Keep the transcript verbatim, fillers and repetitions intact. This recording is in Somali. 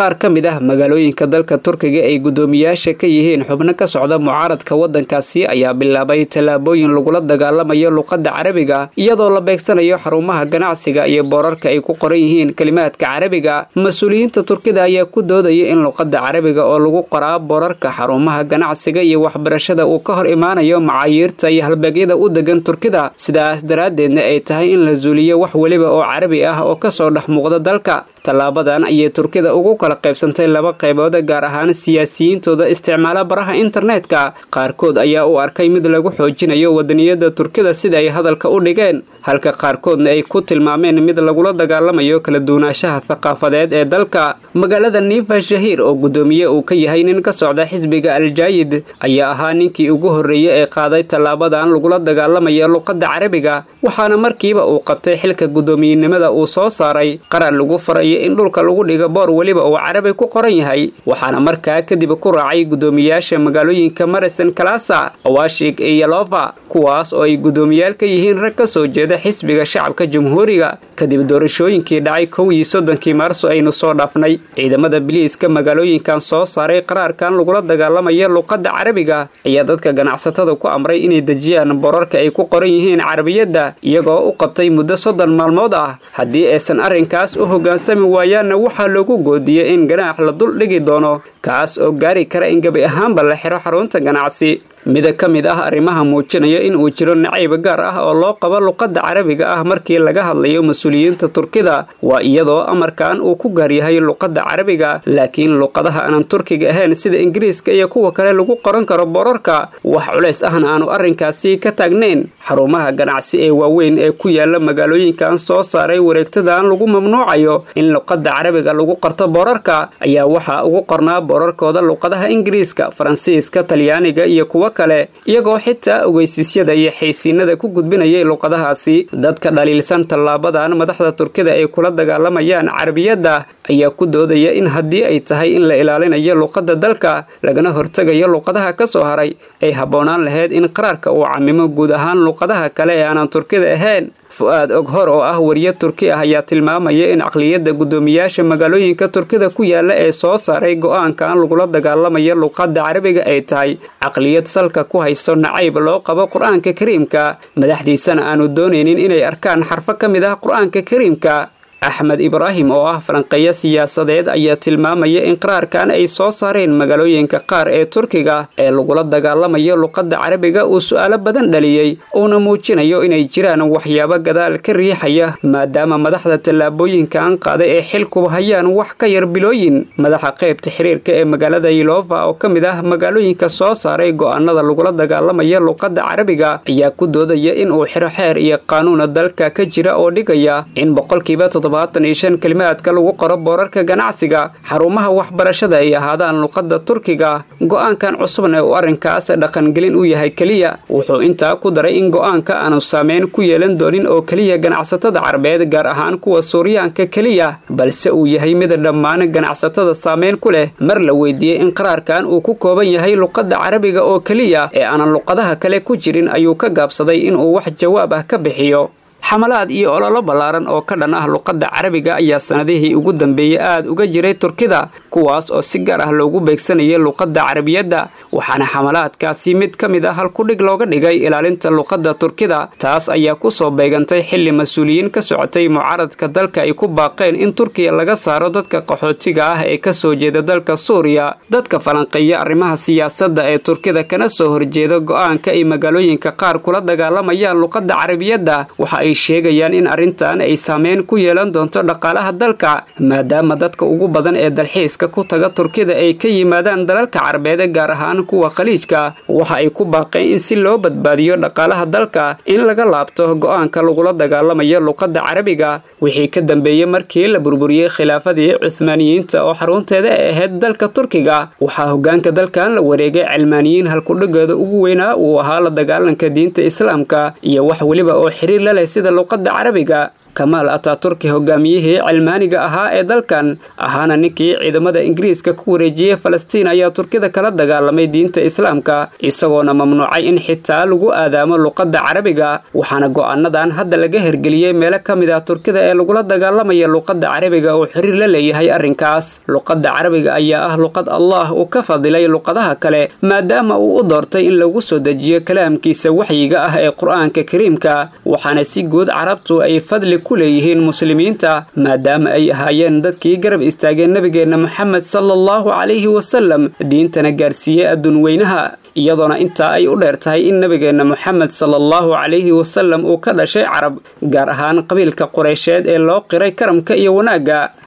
Qaar ka mid ah magaalooyinka dalka Turkiga ay guddoomiyaasha ka yihiin xubno ka socda mucaaradka waddankaasi ayaa bilaabay tallaabooyin lagula dagaalamayo luqadda Carabiga, iyadoo la beegsanayo xarumaha ganacsiga iyo boorarka ay ku qoran yihiin kalimaadka Carabiga. Mas-uuliyiinta Turkida ayaa ku doodaya in luqadda Carabiga oo lagu qoraa boorarka xarumaha ganacsiga iyo waxbarashada uu ka hor imaanayo macayiirta iyo halbeegyada u degan Turkida, sidaas daraaddeedna ay tahay in la zuuliyo wax weliba oo Carabi ah oo kasoo dhex muuqda dalka. Tallaabadan ayay Turkida ugu kala qaybsantay laba qaybood, gaar ahaan siyaasiyiintooda isticmaala baraha internetka. Qaarkood ayaa u arkay mid lagu xoojinayo wadaniyada Turkida sida ay hadalka u dhigeen, halka qaarkoodna ay ku tilmaameen mid lagula dagaalamayo kala duwanaanshaha thaqaafadeed ee dalka. Magaalada Nifa Shahiir oo guddoomiye uu ka yahay nin ka socda xisbiga Aljaayid ayaa ahaa ninkii ugu horreeyey ee qaaday tallaabadan lagula dagaalamayo luqadda Carabiga, waxaana markiiba uu qabtay xilka guddoomiyenimada uu soo saaray qarar lagu farayo in dhulka lagu dhigo boor weliba uu Carabi ku qoran yahay. Waxaana markaa kadib ku raacay guddoomiyaasha magaalooyinka Marisen, Kalasa, Awashig iyo Yalova, kuwaas oo ay guddoomiyaal ka yihiin rag ka soo jeeda xisbiga Shacabka Jamhuuriga, kadib doorashooyinkii dhacay kow iyo soddonkii Maarso aynu soo dhaafnay. Ciidamada biliiska magaalooyinkan soo saaray qaraarkan lagula dagaalamaya luqadda Carabiga ayaa dadka ganacsatada ku amray inay dejiyaan boorarka ay ku qoran yihiin Carabiyadda, iyagoo u qabtay muddo soddon maalmood ah. Haddii aysan arrinkaas u hoggaansami waayaanna, waxaa loogu goodiyey in ganaax la dul dhigi doono, kaas oo gaari kara in gebi ahaanba la xiro xarunta ganacsi. Mida ka mid ah arrimaha muujinaya in uu jiro nacayb gaar ah oo loo qabo luqadda Carabiga ah markii laga hadlayo mas-uuliyiinta Turkida waa iyadoo amarkan uu ku gaar yahay luqadda Carabiga, laakiin luqadaha aanan Turkiga ahayn sida Ingiriiska iyo kuwa kale lagu qoran karo boorarka, wax culays ahna aanu arrinkaasi ka taagnayn. Xarumaha ganacsi ee waaweyn ee ku yaala magaalooyinkan soo saaray wareegtadan lagu mamnuucayo in luqadda Carabiga lagu qorto boorarka ayaa waxaa ugu qornaa boorarkooda luqadaha Ingiriiska, Faransiiska, Talyaaniga iyo kuwa kale, iyagoo xitaa ogeysiisyada iyo xaysiinada ku gudbinayay luqadahaasi. Dadka dhaliilsan tallaabadan madaxda Turkida ay kula dagaalamayaan Carabiyadda ayaa ku doodaya in haddii ay tahay in la ilaalinayo luqadda dalka lagana hortegayo luqadaha ka soo haray, ay habboonaan lahayd in qaraarka uu camimo guud ahaan luqadaha kale ee aanan Turkida ahayn. Fu'aad Oghor oo ah wariye Turki ah ayaa tilmaamaya in caqliyadda guddoomiyaasha magaalooyinka Turkida ku yaala ee soo saaray go'aankan lagula dagaalamayo luqadda Carabiga ay tahay caqliyad salka ku hayso nacayb loo qabo Qur-aanka Kariimka, madaxdiisana aanu doonaynin inay arkaan xarfo ka mid ah Qur-aanka Kariimka. Axmed Ibraahim oo ah falanqeeyo siyaasadeed ayaa tilmaamaya in qaraarkan ay soo saareen magaalooyinka qaar ee Turkiga ee lagula dagaalamayo luqadda Carabiga uu su'aalo badan dhaliyey, uuna muujinayo inay jiraan waxyaabo gadaal ka riixaya, maadaama madaxda tallaabooyinkan qaaday ay xilkuba hayaan wax ka yar bilooyin. Madaxa qaybta xiriirka ee magaalada Yilova oo ka mid ah magaalooyinka soo saaray go'aanada lagula dagaalamayo luqadda Carabiga ayaa ku doodaya in uu xiro xeer iyo qaanuuna dalka ka jira oo dhigaya in boqolkiiba toddobaatan iyo shan kalimaadka lagu qoro boorarka ganacsiga xarumaha waxbarashada ay ahaadaan luqadda Turkiga. Go'aankan cusubna uu arrinkaas dhaqangelin u yahay keliya. Wuxuu intaa ku daray in go'aanka aanu saameyn ku yeelan doonin oo keliya ganacsatada Carabeed, gaar ahaan kuwa Suuryaanka keliya, balse uu yahay mid dhammaan ganacsatada saameyn ku leh. Mar la weydiiyey in qaraarkan uu ku kooban yahay luqadda Carabiga oo keliya ee aanan luqadaha kale ku jirin, ayuu ka gaabsaday inuu wax jawaab ah ka bixiyo. Xamalaad iyo ololo ballaaran oo ka dhan ah luqadda Carabiga ayaa sanadihii ugu dambeeyey aad uga jiray Turkida, kuwaas oo si gaar ah loogu beegsanayay luqadda Carabiyadda. Waxaana xamalaadkaasi mid ka mid ah halkudhig looga dhigay ilaalinta luqadda Turkida. Taas ayaa ku soo beegantay xilli mas-uuliyiin ka socotay mucaaradka dalka ay ku baaqeen in Turkiya laga saaro dadka qaxootiga ah ee ka soo jeeda dalka Suuriya. Dadka falanqeeya arrimaha siyaasadda ee Turkida kana soo horjeeda go'aanka ay magaalooyinka qaar kula dagaalamayaan luqadda Carabiyadda waxa ay sheegayaan in arrintan ay saameyn ku yeelan doonto dhaqaalaha dalka, maadaama dadka ugu badan ee dalxiiska ku taga Turkida ay ka yimaadaan dalalka Carabeed, gaar ahaan kuwa Khaliijka. Waxa ay ku baaqeen in si loo badbaadiyo dhaqaalaha dalka in laga laabto go'aanka lagula dagaalamayo luqadda Carabiga. Wixii ka dambeeyey markii la burburiyey khilaafadii Cuthmaaniyiinta oo xarunteeda ay ahayd dalka Turkiga, waxaa hoggaanka dalkan la wareegay cilmaaniyiin halkudhigooda ugu weynaa uu ahaa la dagaalanka diinta Islaamka iyo wax weliba oo xiriir la leh sida luqadda Carabiga. Kamaal Ataturki, hogaamiyihii cilmaaniga ahaa ee dalkan, ahaana ninkii ciidamada Ingiriiska ku wareejiyey Falastiin, ayaa Turkida kala dagaalamay diinta Islaamka, isagoona mamnuucay in xitaa lagu aadaamo luqadda Carabiga. Waxaana go'aanadan hadda laga hergeliyey meelo ka mid ah Turkida ee lagula dagaalamaya luqadda Carabiga oo xiriir la leeyahay arrinkaas. Luqadda Carabiga ayaa ah luqad Allah uu ka fadilay luqadaha kale, maadaama uu u doortay in lagu soo dejiyo kalaamkiisa waxyiga ah ee Qur-aanka Kariimka. Waxaana si guud Carabtu ay fadli ku leeyihiin Muslimiinta, maadaama ay ahaayeen dadkii garab istaageen nabigeenna Moxamed sala allahu calayhi wasalam, diintana gaarsiiyey adduun weynaha, iyadoona intaa ay u dheer tahay in nabigeenna Moxamed sala allahu calayhi wasalam uu ka dhashay Carab, gaar ahaan qabiilka Qureysheed ee loo qiray karamka iyo wanaagga.